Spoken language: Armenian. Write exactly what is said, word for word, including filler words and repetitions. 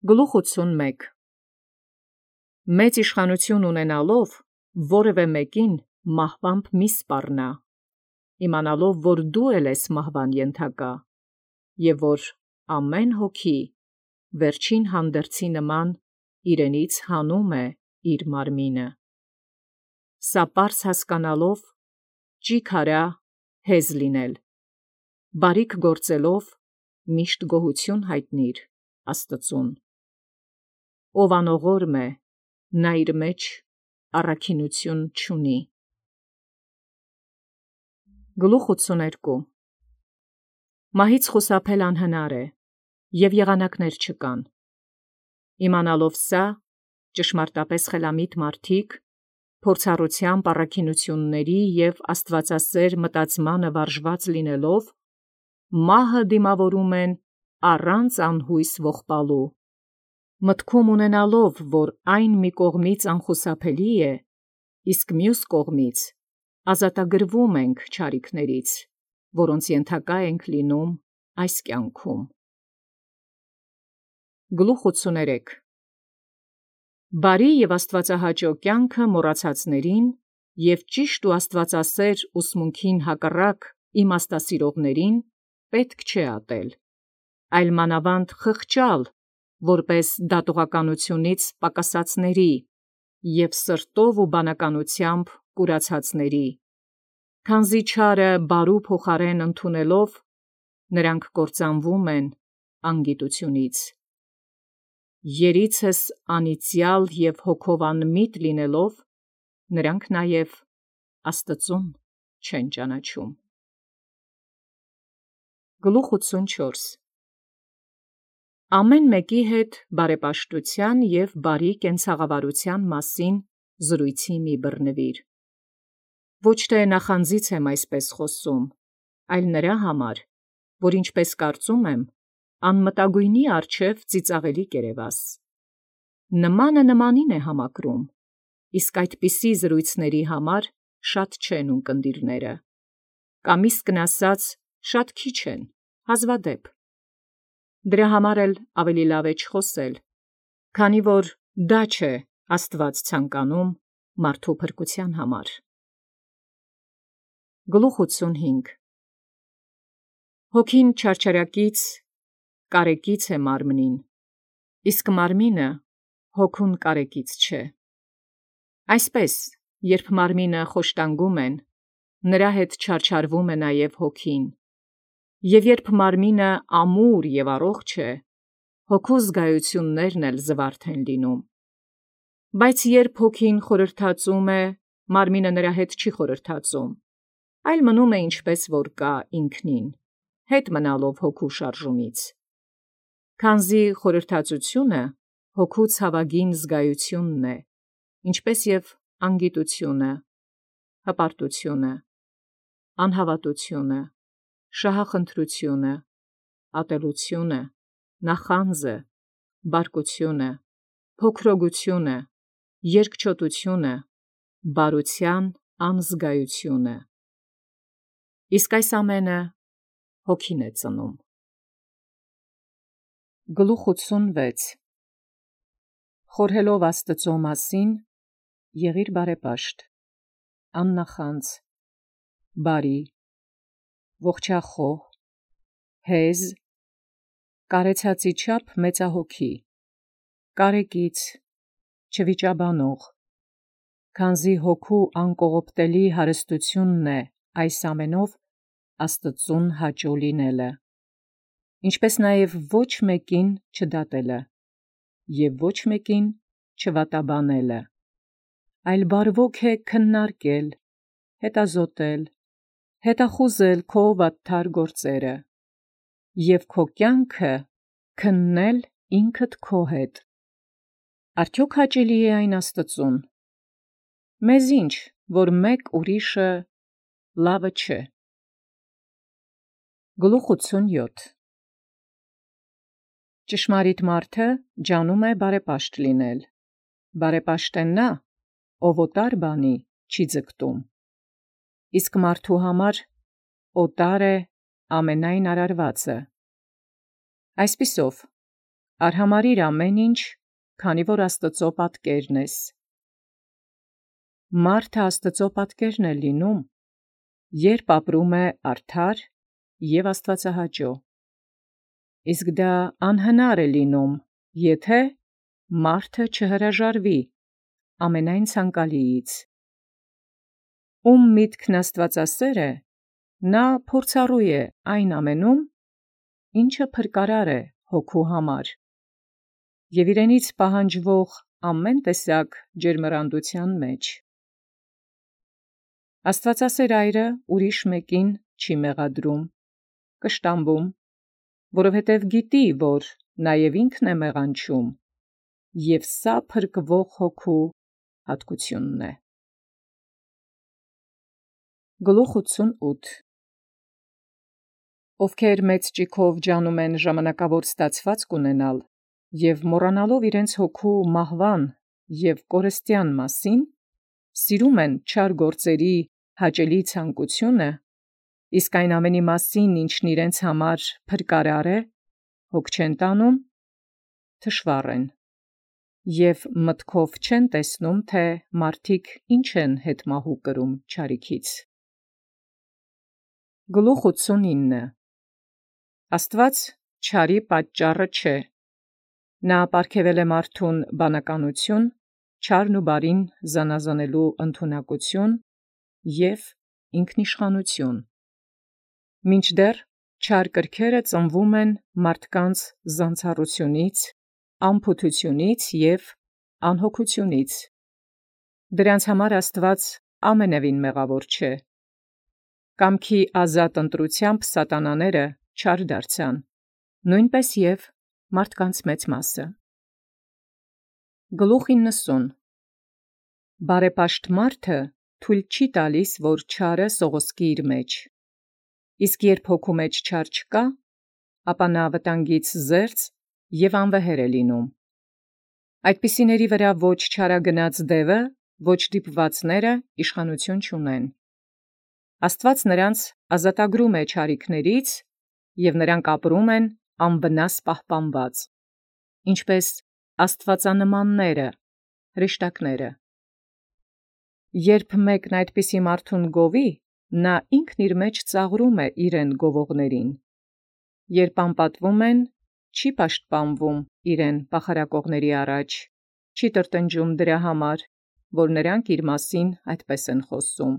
Գլուխ ութսունմեկ Մեծ իշխանութիւն ունենալով, որևէ մեկին մահվամբ մի սպառնա, իմանալով, որ դու էլ ես մահվան ենթակա, և որ ամեն հոգի վերջին հանդերձի նման իրենից հանում է իր մարմինը։ Սա պարզ հասկանալով, ճիգ արա հեզ լինել, բարիք գործելով միշտ գոհություն հայտնիր Աստծուն։ Ով անողորմ է, նա իր մեջ առաքինութիւն չունի։ Գլուխ ութսուներկու Մահից խուսափել անհնար է, և եղանակներ չկան։ Իմանալով սա, ճշմարտապես խելամիտ մարդիկ, փորձառութեամբ առաքինութիւնների և աստուածասէր մտածմանը վարժված լինելով, մահը դիմավորում են առանց անհույս ողբալու, մտքում ունենալով, որ այն մի կողմից անխուսափելի է, իսկ մյուս կողմից ազատագրվում ենք չարիքներից, որոնց ենթակա ենք լինում այս կյանքում։ Գլուխ ութսուներեք Բարի և աստուածահաճո կյանքը մոռացածներին և ճիշտ ու աստուածասէր ուսմունքին հակառակ իմաստասիրողներին պետք չէ ատել, այլ մանավանդ խղճալ, որպէս դատողականութիւնից պակասածների և սրտով ու բանականութեամբ կուրացածների, քանզի չարը բարու փոխարեն ընդունելով, նրանք կործանվում են անգիտութիւնից։ Երիցս անիծյալ և հոգով անմիտ լինելով, նրանք նաև Աստծուն չեն ճանաչում։ Գլուխ ութսունչորս Ամեն մեկի հետ բարեպաշտութեան և բարի կենցաղավարութեան մասին զրոյցի մի բռնվիր։ Ոչ թե նախանձից եմ այսպես խոսում, այլ նրա համար, որ ինչպես կարծում եմ, անմտագոյնի առջև ծիծաղելի կերևաս։ Նմանը նմանին է համակրում, իսկ այդպիսի զրոյցների համար շատ չեն ունկնդիրները, կամ իսկն ասած շատ քիչ են, հազվադեպ։ Դրա համար էլ ավելի լավ է չխոսել, քանի որ դա չէ Աստուած ցանկանում մարդու փրկութեան համար։ Գլուխ ութսունհինգ Հոգին չարչարակից կարեկից է մարմնին, իսկ մարմինը հոգուն կարեկից չէ։ Այսպես, երբ մարմինը խոշտանգում են, նրա հետ չարչարվում է նաև հոգին, և երբ մարմինը ամուր և առողջ է, հոգու զգայություններն էլ զվարթ են լինում։ Բայց երբ հոգին խորհրդածում է, մարմինը նրա հետ չի խորհրդածում, այլ մնում է ինչպես որ կա ինքնին, հետ մնալով հոգու շարժումից։ Քանզի խորհրդածությունը հոգու ցավագին զգայությունն է, ինչպես և անգիտությունը, հպարտությունը, անհավատությունը, շահախնդրությունը, ատելությունը, նախանձը, բարկությունը, փոքրոգությունը, երկչոտությունը, բարութեան անզգայությունը։ Իսկ այս ամենը հոգին է ծնում։ Գլուխ ութսունվեց Խորհելով Աստուծոյ մասին, եղիր բարեպաշտ, աննախանձ, բարի, ողջախոհ, հեզ, կարեցածի չափ մեծահոգի, կարեկից, չվիճաբանող, քանզի հոգու անկողոպտելի հարստութիւնն է այս ամենով Աստուծուն հաճոյ լինելը, ինչպես նաև ոչ մեկին չդատելը և ոչ մեկին չվատաբանելը, այլ բարվոք է քննարկել, հետազոտել, հետախուզել քո վատթար գործերը և քո կյանքը քննել ինքդ քո հետ։ Արդյոք հաճելի է այն Աստուծուն։ Մեզ ինչ, որ մեկ ուրիշը լավը չէ։ Գլուխ ութսունյոթ Ճշմարիտ մարդը ջանում է բարեպաշտ լինել, բարեպաշտ է նա, ով օտար բանի չի ձգտում, իսկ մարդու համար օտար է ամենայն արարվածը։ Այսպիսով, արհամարիր ամեն ինչ, քանի որ Աստուծո պատկերն ես։ Մարդը Աստուծո պատկերն է լինում, երբ ապրում է արդար և աստվածահաճո։ Իսկ դա անհնար է լինում, եթե մարդը չհրաժարվի ամենայն ցանկալիից։ Ում միտքն աստվածասեր է, նա փորձառու է այն ամենում, ինչը փրկարար է հոգու համար, և իրենից պահանջվող ամեն տեսակ ջերմեռանդության մեջ։ Աստվածասեր այրը ուրիշ մեկին չի մեղադրում, կշտամբում, որովհետև գիտի, որ նաև ինքն է մեղանչում, և սա փրկվող հոգու հատկությունն է։ Գլուխ ութսունութ Ովքեր մեծ ճիգով ջանում են ժամանակավոր ստացվածք ունենալ, և մոռանալով իրենց հոգու մահվան և կորստյան մասին, սիրում են չար գործերի հաճելի ցանկությունը, իսկ այն ամենի մասին, ինչն իրենց համար փրկարար է, հոգ չեն տանում, թշվառ են, և մտքով չեն տեսնում, թե մարդիկ ինչ են հետմահու կրում չարիքից։ Գլուխ ութսունինը Աստուած չարի պատճառը չէ. նա պարգևել է մարդուն բանականություն, չարն ու բարին զանազանելու ընդունակություն և ինքնիշխանություն, մինչդեռ չար կրքերը ծնվում են մարդկանց զանցառությունից, անփութությունից և անհոգությունից. դրանց համար Աստուած ամենևին մեղավոր չէ։ Կամքի ազատ ընտրութեամբ սատանաները չար դարձան, նոյնպէս և մարդկանց մեծ մասը։ Գլուխ իննսուն Բարեպաշտ մարդը թույլ չի տալիս, որ չարը սողոսկի իր մեջ, իսկ երբ հոգու մեջ չար չկա, ապա նա վտանգից զերծ և անվեհեր է լինում։ Այդպիսիների վրա ոչ չարագնաց դևը, ոչ դիպվածները իշխանութիւն չունեն։ Աստուած նրանց ազատագրում է չարիքներից, և նրանք ապրում են անվնաս պահպանված, ինչպէս աստուածանմանները, հրեշտակները։ Երբ մեկն այդպիսի մարդուն գովի, նա ինքն իր մեջ ծաղրում է իրեն գովողներին. երբ անպատվում են, չի պաշտպանվում իրեն պախարակողների առաջ, չի տրտնջում դրա համար, որ նրանք իր մասին այդպես են խոսում։